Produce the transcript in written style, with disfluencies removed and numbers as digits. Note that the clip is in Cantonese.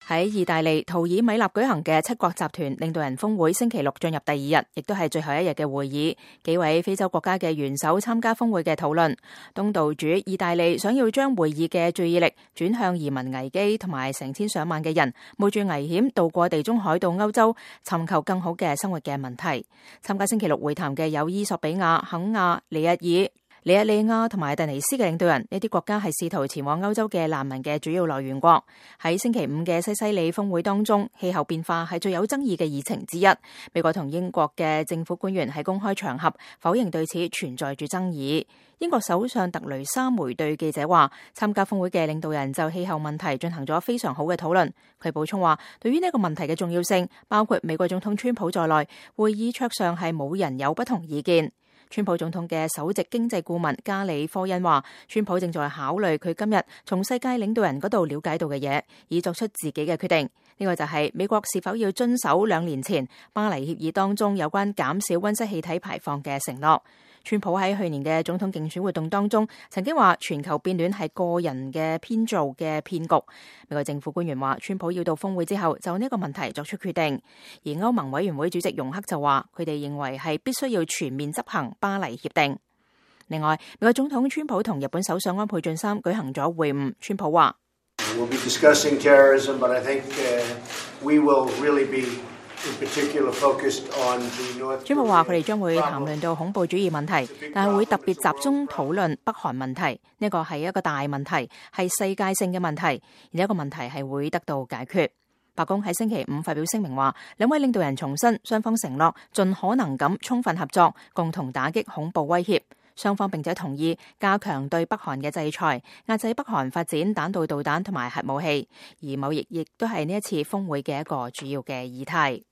喺意大利圖爾米納舉行嘅七國集團領導人峰會星期六進入第二日，亦都係最後一日嘅會議。幾位非洲國家嘅元首參加峰會嘅討論。東道主意大利想要將會議嘅注意力轉向移民危機同埋成千上萬嘅人冒住危險渡過地中海到歐洲尋求更好嘅生活嘅問題。參加星期六會談嘅有伊索比亞、肯亞、尼日爾、尼日利亞同埋突尼斯嘅領導人，呢啲國家係試圖前往歐洲嘅難民嘅主要來源國。喺星期五嘅西西里峰會當中，氣候變化係最有爭議嘅議程之一。美國同英國嘅政府官員喺公開場合否認對此存在住爭議。英國首相特雷莎梅對記者話，參加峰會嘅領導人就氣候問題進行咗非常好嘅討論。佢補充話，對於呢個問題嘅重要性，包括美國總統川普在內，會議桌上係冇人有不同意見。川普總統嘅首席經濟顧問加里科恩話，川普正在考慮佢今日從世界領導人嗰度了解到嘅嘢，以作出自己嘅決定。呢個就係美國是否要遵守2年前巴黎協議當中有關減少溫室氣體排放嘅承諾。川普喺去年嘅總統競選活動當中曾經話，全球變暖係個人嘅編造嘅騙局。美國政府官員話，川普要到峰會之後就呢個問題作出決定。而歐盟委員會主席容克就話，佢哋認為係必須要全面執行巴黎協定。另外，美國總統川普同日本首相安倍晉三舉行咗會晤。川普話：We'll be discussing terrorism, but I think we will really be in particular focused on the North Korea。川普話佢哋將會談論到恐怖主義問題，但係會特別集中討論北韓問題。呢個係一個大問題，係世界性嘅問題，而呢個問題係會得到解決。白宮喺星期五發表聲明話，兩位領導人重申雙方承諾盡可能咁充分合作，共同打擊恐怖威脅。雙方並且同意加強對北韓嘅制裁，壓制北韓發展彈道導彈同埋核武器。而貿易亦都係呢一次峰會嘅一個主要嘅議題。